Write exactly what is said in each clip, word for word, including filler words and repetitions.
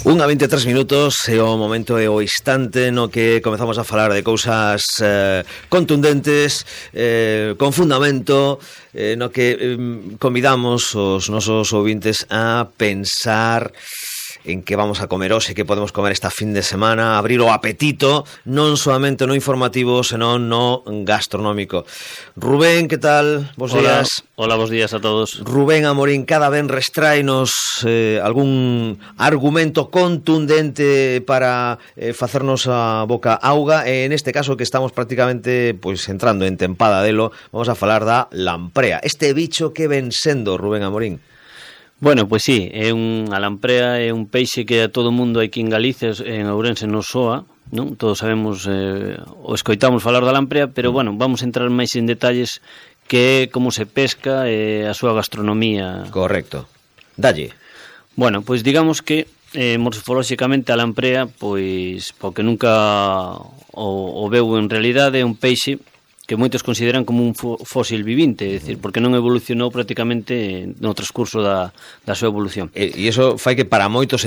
Unha vinte e tres minutos é o momento e o instante no que comezamos a falar de cousas eh, contundentes, eh, con fundamento, eh, no que eh, convidamos os nosos ouvintes a pensar en que vamos a comer hoxe, que podemos comer esta fin de semana, abrir o apetito, non solamente no informativo, senón no gastronómico. Rubén, que tal? Bos Hola, días. Hola, bos días a todos. Rubén Amorín, cada ben restráenos eh, algún argumento contundente para eh, facernos a boca auga, e en este caso que estamos prácticamente pois entrando en tempada delo, vamos a falar da lamprea. Este bicho que ven sendo, Rubén Amorín? Bueno, pois sí, é un, a lamprea é un peixe que a todo mundo aquí en Galicia, en Ourense nos soa, non? Todos sabemos, eh, o escoitamos falar da lamprea, pero bueno, vamos a entrar máis en detalles que é como se pesca e a súa gastronomía. Correcto. Dalle. Bueno, pois digamos que eh, morfolóxicamente a lamprea, pois, porque nunca o, o veu en realidade, é un peixe que moitos consideran como un fósil vivinte, é dicir, porque non evolucionou prácticamente no transcurso da, da súa evolución. E, e iso fai que para moitos,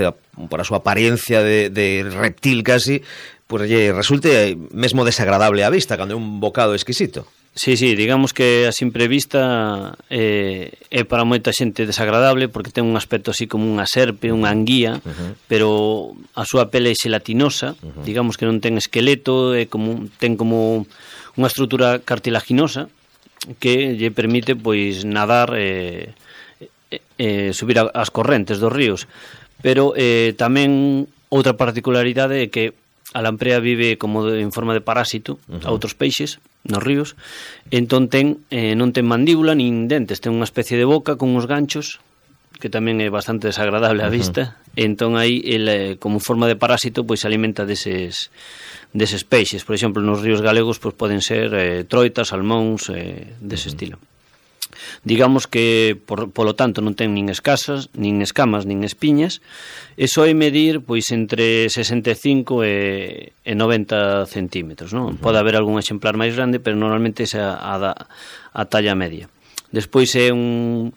por a súa apariencia de, de reptil casi, pues lle resulte mesmo desagradable á vista, cando é un bocado exquisito. Sí, sí, digamos que a simple vista eh, é para moita xente desagradable porque ten un aspecto así como unha serpe, unha anguía, uh-huh. pero a súa pele é xelatinosa, uh-huh. digamos que non ten esqueleto, é como, ten como unha estrutura cartilaginosa que lle permite pois nadar e eh, eh, subir as correntes dos ríos. Pero eh, tamén outra particularidade é que a lamprea vive como de, en forma de parásito uh-huh. a outros peixes nos ríos, entón ten, eh, non ten mandíbula nin dentes, ten unha especie de boca con uns ganchos que tamén é bastante desagradable á vista, uh-huh. entón aí ele, como forma de parásito pois se alimenta deses deses peixes. Por exemplo, nos ríos galegos pois poden ser eh, troitas, salmóns, eh, dese uh-huh. estilo. Digamos que, por, polo tanto, non ten nin escasas, nin escamas, nin espiñas, e soe medir pois entre sesenta e cinco e noventa centímetros, non? Uh-huh. Pode haber algún exemplar máis grande, pero normalmente é a, a, a talla media. Despois é un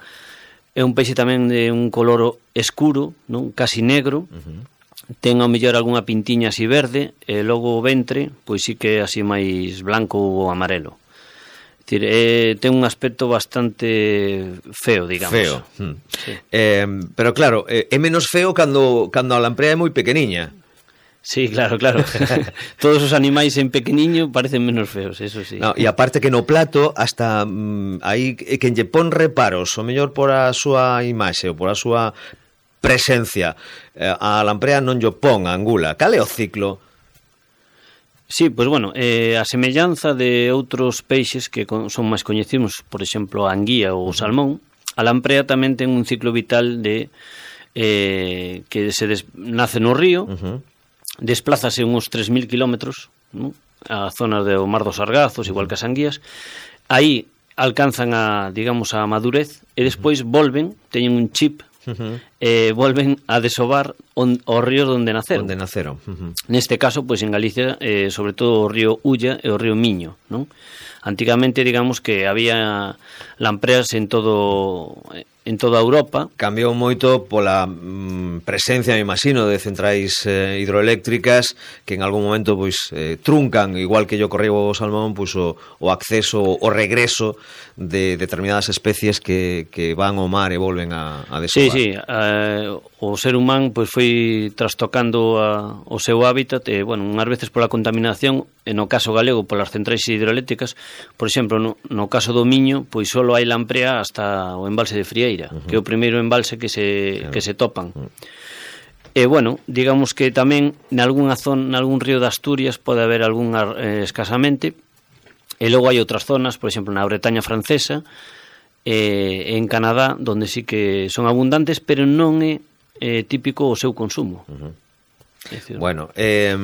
é un peixe tamén de un color escuro, non? Casi negro, uh-huh. ten ao mellor algunha pintiña así verde, e logo o ventre, pois sí que é así máis blanco ou amarelo. Decir, eh, ten un aspecto bastante feo, digamos. Feo. Hmm. Sí. Eh, pero claro, eh, é menos feo cando, cando a lamprea é moi pequeniña. Sí, claro, claro. Todos os animais en pequeniño parecen menos feos, eso sí. No, e aparte que no plato, hasta mm, aí quen lle pon reparos, o mellor por a súa imaxe ou por a súa presencia, eh, a lamprea non lle pon a angula. Cal é o ciclo? Sí, pois bueno, eh, a semellanza de outros peixes que con, son máis coñecidos, por exemplo, a anguía ou o salmón, a lamprea tamén ten un ciclo vital de eh, que se des, nace no río, uh-huh. desplázase uns tres mil kilómetros, ¿no? A zonas do Mar dos Sargazos, igual que as anguías, aí alcanzan a, digamos, a madurez e despois volven, teñen un chip, Uh-huh. eh, volven a desovar on, os ríos onde naceron. Onde naceron. Uh-huh. Neste caso, pois en Galicia, eh, sobre todo o río Ulla e o río Miño, non? Antigamente, digamos que había lampreas en todo en toda Europa. Cambiou moito pola mm, presencia, me imagino, de centrais eh, hidroeléctricas que en algún momento pois eh, truncan, igual que yo correu o salmón, pois o, o acceso, o regreso de determinadas especies que, que van ao mar e volven a, a desovar. Sí, sí, eh, o ser humano pois foi trastocando a, o seu hábitat e, bueno, unhas veces pola contaminación, e no caso galego polas centrais hidroeléctricas, por exemplo, no, no caso do Miño, pois só hai lamprea hasta o embalse de Frieira, uh-huh. que é o primeiro embalse que se, claro. que se topan. Uh-huh. E, bueno, digamos que tamén nalgúna zona, nalgún río de Asturias pode haber algún eh, escasamente, e logo hai outras zonas, por exemplo, na Bretaña francesa, e en Canadá, donde sí que son abundantes, pero non é eh, típico o seu consumo. Uh-huh. Bueno, eh,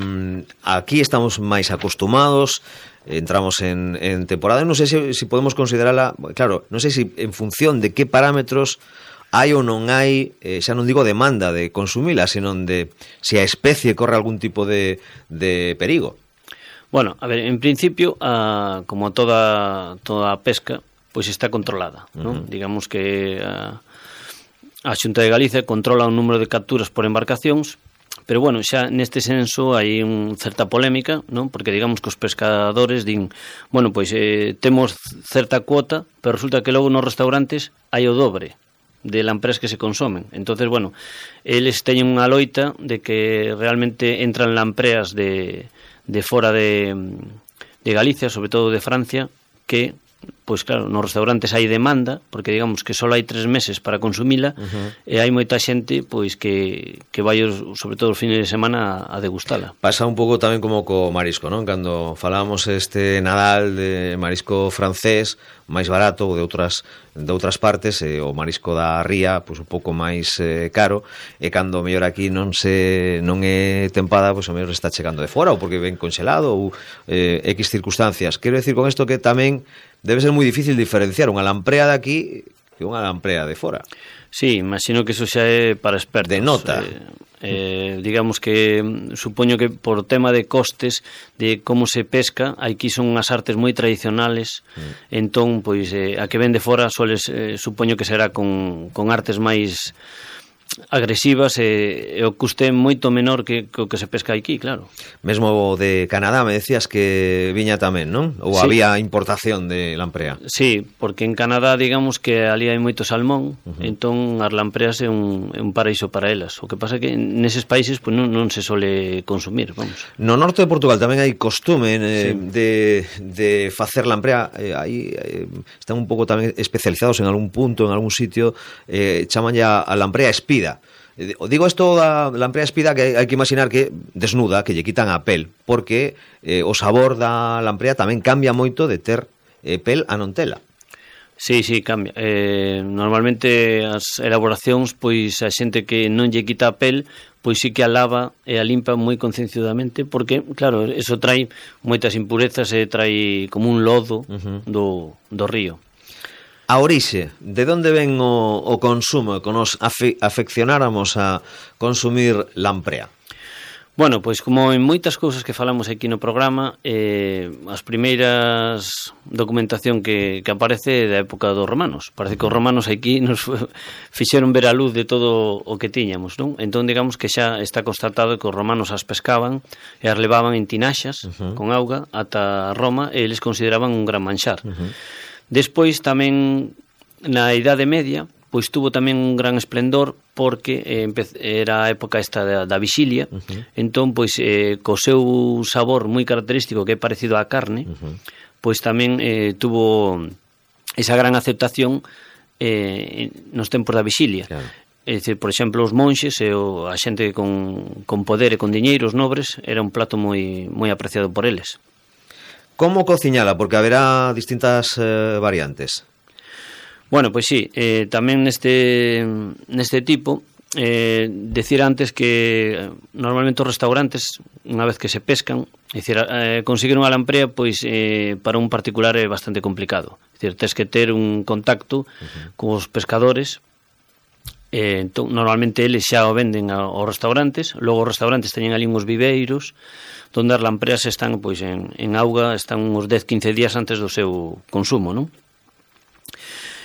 aquí estamos máis acostumados, entramos en, en temporada, non sei se, se podemos considerala, claro, non sei se en función de que parámetros hai ou non hai, eh, xa non digo demanda de consumila, senón de se a especie corre algún tipo de, de perigo. Bueno, a ver, en principio, a, como toda toda a pesca, pois está controlada, uh-huh. non? Digamos que a, a Xunta de Galicia controla un número de capturas por embarcacións Pero bueno, xa neste senso hai un certa polémica, non? Porque digamos que os pescadores din, bueno, pois eh, temos certa cuota, pero resulta que logo nos restaurantes hai o dobre de lampreas que se consomen. Entonces, bueno, eles teñen unha loita de que realmente entran lampreas de, de fora de, de Galicia, sobre todo de Francia, que pois claro, nos restaurantes hai demanda, porque digamos que só hai tres meses para consumila, uh-huh. e hai moita xente pois que, que vai os, sobre todo os fines de semana a, a degustala. Pasa un pouco tamén como co marisco, non? Cando falamos este Nadal de marisco francés máis barato ou de outras de outras partes, e o marisco da ría pois un pouco máis eh, caro, e cando mellor aquí non se non é tempada, pois o mellor está chegando de fora ou porque ven congelado ou eh, X circunstancias. Quero decir con isto que tamén debe ser moi difícil diferenciar unha lamprea de aquí que unha lamprea de fora. Sí, imagino que eso xa é para expertos. De nota. Eh, eh, digamos que supoño que por tema de costes de como se pesca, aquí son unhas artes moi tradicionales, mm. entón, pois, eh, a que ven de fora soles, eh, supoño que será con, con artes máis agresivas e, e o custe moito menor que o que se pesca aquí, claro. Mesmo de Canadá me decías que viña tamén, non? Ou sí. Había importación de lamprea? Sí, porque en Canadá digamos que ali hai moito salmón, uh-huh. entón as lampreas é un, é un paraíso para elas. O que pasa é que neses países pues, non, non se sole consumir, vamos. No norte de Portugal tamén hai costume eh, sí. de, de facer lamprea, eh, aí eh, están un pouco tamén especializados en algún punto, en algún sitio, eh, chaman ya a lamprea espida. Digo isto da lamprea espida que hai que imaginar que desnuda, que lle quitan a pel, porque eh, o sabor da lamprea tamén cambia moito de ter eh, pel a non tela. Sí, sí, cambia. Eh, normalmente as elaboracións, pois a xente que non lle quita a pel, pois sí que a lava e a limpa moi concienciadamente, porque, claro, eso trae moitas impurezas e trae como un lodo uh-huh. do, do río. A orixe, de onde ven o, o consumo, que nos afe, afeccionáramos a consumir lamprea? Bueno, pois como en moitas cousas que falamos aquí no programa, eh, as primeiras documentación que, que aparece é da época dos romanos. Parece que os romanos aquí nos fixeron ver a luz de todo o que tiñamos, non? Entón, digamos que xa está constatado que os romanos as pescaban e as levaban en tinaxas uh-huh. con auga ata Roma e eles consideraban un gran manxar. Uh-huh. Despois tamén na Idade Media pois tuvo tamén un gran esplendor porque eh, era a época esta da, da vixilia, uh-huh. entón pois eh, co seu sabor moi característico que é parecido á carne, uh-huh. pois tamén eh, tuvo esa gran aceptación eh, nos tempos da vixilia. Claro. É dicir, por exemplo, os monxes e o, a xente con, con poder e con diñeiros nobres era un plato moi moi apreciado por eles. Como cociñala? Porque haberá distintas eh, variantes. Bueno, pois sí, eh, tamén neste neste tipo, eh, decir antes que normalmente os restaurantes, unha vez que se pescan, é dicir, eh, conseguir unha lamprea, pois eh, para un particular é bastante complicado. É dicir, tes que ter un contacto uh-huh. cos pescadores, eh, entón, normalmente eles xa o venden aos restaurantes, logo os restaurantes teñen ali uns viveiros, donde as lampreas están pois en, en auga, están uns dez a quince días antes do seu consumo, non?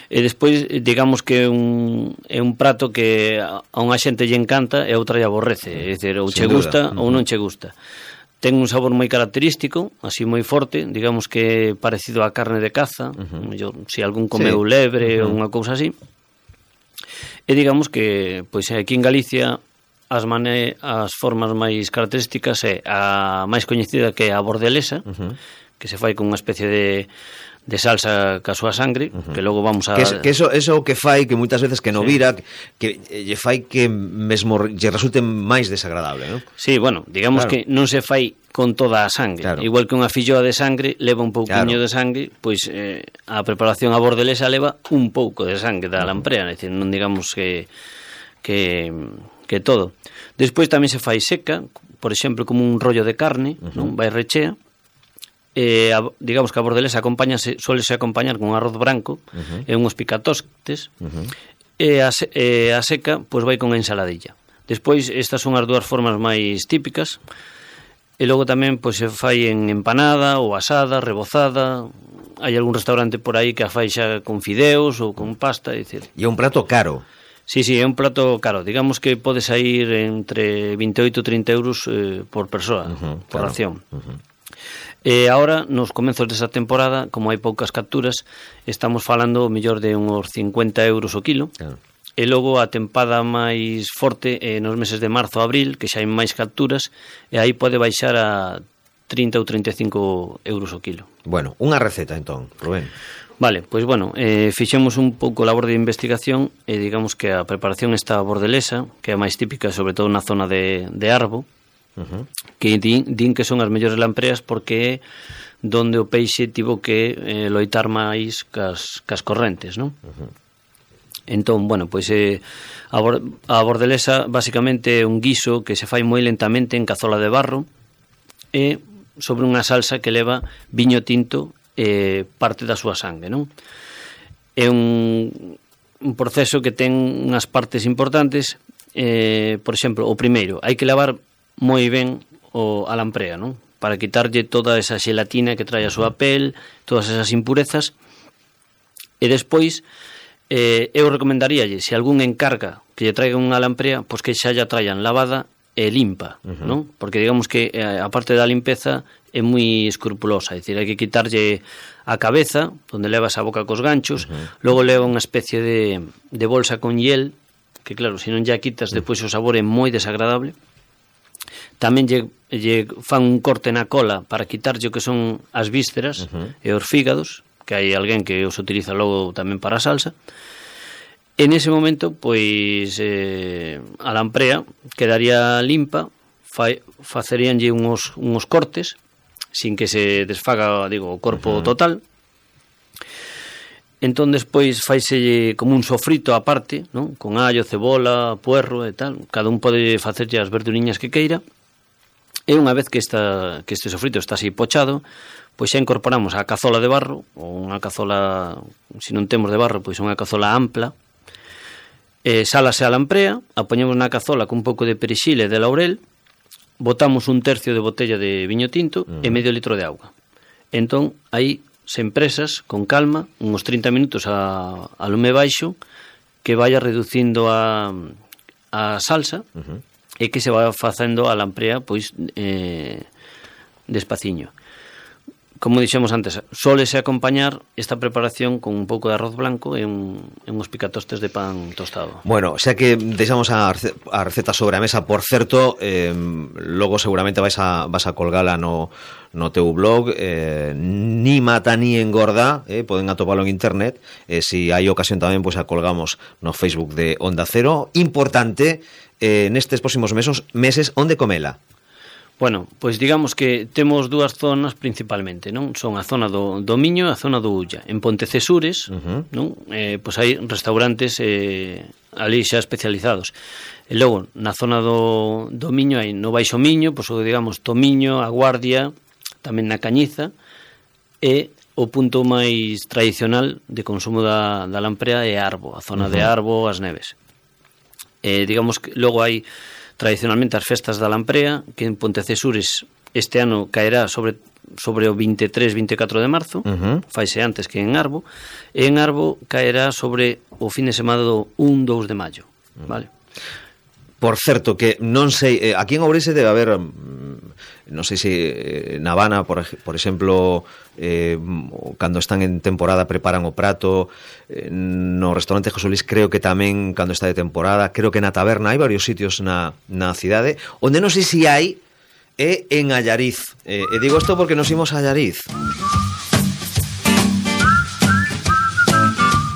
E despois, digamos que é un, é un prato que a unha xente lle encanta e a outra lle aborrece, é dicir, ou che gusta ou non che gusta. Ten un sabor moi característico, así moi forte, digamos que é parecido á carne de caza, uh-huh. mellor, se algún comeu sí. lebre uh-huh. ou unha cousa así. E digamos que, pois aquí en Galicia, as mane as formas máis características é a máis coñecida que é a bordelesa, uh-huh. que se fai con unha especie de de salsa ca súa sangre, uh-huh. que logo vamos a... Que, es, que eso eso que fai, que moitas veces que no sí. vira, que lle fai que mesmo lle resulte máis desagradable, non? Sí, bueno, digamos claro. que non se fai con toda a sangre. Claro. Igual que unha filloa de sangre leva un pouquiño claro. de sangre, pois eh, a preparación a bordelesa leva un pouco de sangre da uh-huh. lamprea, é dicir, non digamos que que que todo. Despois tamén se fai seca, por exemplo, como un rollo de carne, uh-huh. non vai rechea. Eh, a, digamos que a bordelesa acompáñase, suélese acompañar con arroz branco uh-huh. e unhos picatostes uh-huh. e, a, e a seca pois vai con ensaladilla. Despois estas son as dúas formas máis típicas e logo tamén pois se fai en empanada ou asada, rebozada. Hai algún restaurante por aí que a fai xa con fideos ou con pasta, é dicir. E é un prato caro. Sí, sí, é un prato caro. Digamos que pode sair entre veintioito e trinta euros eh, por persoa, uh-huh, por claro. ración. Uh-huh. E agora, nos comenzos desa temporada, como hai poucas capturas, estamos falando o mellor de uns cincuenta euros o kilo. Claro. E logo a tempada máis forte eh, nos meses de marzo a abril, que xa hai máis capturas, e aí pode baixar a trinta ou trinta e cinco euros o kilo. Bueno, unha receta entón, Rubén. Vale, pois bueno, eh, fixemos un pouco labor de investigación e digamos que a preparación está bordelesa, que é a máis típica, sobre todo na zona de, de Arbo, uh-huh. que din, din que son as mellores lampreas porque é donde o peixe tivo que eh, loitar máis cas, cas correntes, non? Uh-huh. Entón, bueno, pois eh, a, bor- a bordelesa basicamente é un guiso que se fai moi lentamente en cazola de barro e sobre unha salsa que leva viño tinto e parte da súa sangue, non? É un, un proceso que ten unhas partes importantes, eh, por exemplo, o primeiro, hai que lavar moi ben o, a lamprea, non? Para quitarlle toda esa xelatina que trae a súa pel, todas esas impurezas, e despois Eh, eu recomendaríalle, se algún encarga que lle traiga unha lamprea, pois que xa lla traian lavada e limpa, uh-huh. non? Porque digamos que eh, a parte da limpeza é moi escrupulosa, é dicir, hai que quitarlle a cabeza, onde leva esa boca cos ganchos, uh-huh. logo leva unha especie de, de bolsa con hiel, que claro, se non lla quitas, uh-huh. depois o sabor é moi desagradable. Tamén lle, lle fan un corte na cola para quitarlle o que son as vísceras uh-huh. e os fígados, que hai alguén que os utiliza logo tamén para a salsa. En ese momento, pois, eh, a lamprea quedaría limpa, fa, faceríanlle unos, unos cortes, sin que se desfaga, digo, o corpo uh-huh. total. Entón, despois, faise como un sofrito aparte, non? Con allo, cebola, puerro e tal. Cada un pode facerlle as verduriñas que queira. E unha vez que, esta, que este sofrito está así pochado, pois xa incorporamos a cazola de barro, ou unha cazola, se non temos de barro, pois unha cazola ampla, e sálase a lamprea, a poñemos na cazola con un pouco de perexil e de laurel, botamos un tercio de botella de viño tinto uh-huh. e medio litro de auga. Entón, aí se empresas, con calma, uns trinta minutos a, a lume baixo, que vaya reducindo a, a salsa, uh-huh. e que se va facendo a lamprea, pois, eh, despaciño. Como dixemos antes, sólese acompañar esta preparación con un pouco de arroz blanco e, un, e uns picatostes de pan tostado. Bueno, xa que deixamos a, a receta sobre a mesa, por certo, eh, logo seguramente vais a, vas a colgala no, no teu blog, eh, ni mata ni engorda, eh, poden atopalo en internet, e eh, se si hai ocasión tamén, pois pues, a colgamos no Facebook de Onda Cero. Importante, eh, nestes próximos meses, meses onde comela? Bueno, pois digamos que temos dúas zonas principalmente, non? Son a zona do, do Miño e a zona do Ulla. En Pontecesures, uh-huh. non? Eh, pois hai restaurantes eh, ali xa especializados. E logo, na zona do, do Miño hai no Baixo Miño, pois digamos Tomiño, A Guardia, tamén na Cañiza, e o punto máis tradicional de consumo da, da lamprea é Arbo, a zona uh-huh. de Arbo, As Neves. Eh, digamos que logo hai tradicionalmente as festas da lamprea, que en Pontecesures este ano caerá sobre sobre o veintitrés e veinticuatro de marzo, uh-huh. faise antes que en Arbo, e en Arbo caerá sobre o fin de semana do un dous de maio, uh-huh. vale? Por certo, que non sei, eh, aquí en Ourense debe haber, non sei se eh, na Habana, por, por exemplo, eh, cando están en temporada preparan o prato, eh, no restaurante José Luis creo que tamén cando está de temporada, creo que na taberna hai varios sitios na, na cidade, onde non sei se hai, é en Allariz. Eh, e digo isto porque nos imos a Allariz.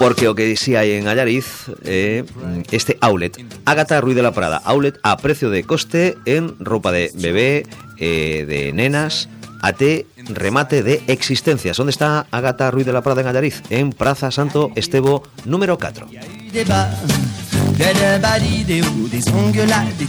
Porque o que si hai en Allariz é eh, este outlet, Ágata Ruiz de la Prada, outlet a precio de coste en roupa de bebé, eh, de nenas, até remate de existencias. Onde está Ágata Ruiz de la Prada en Allariz? En Praza Santo Estevo número catro.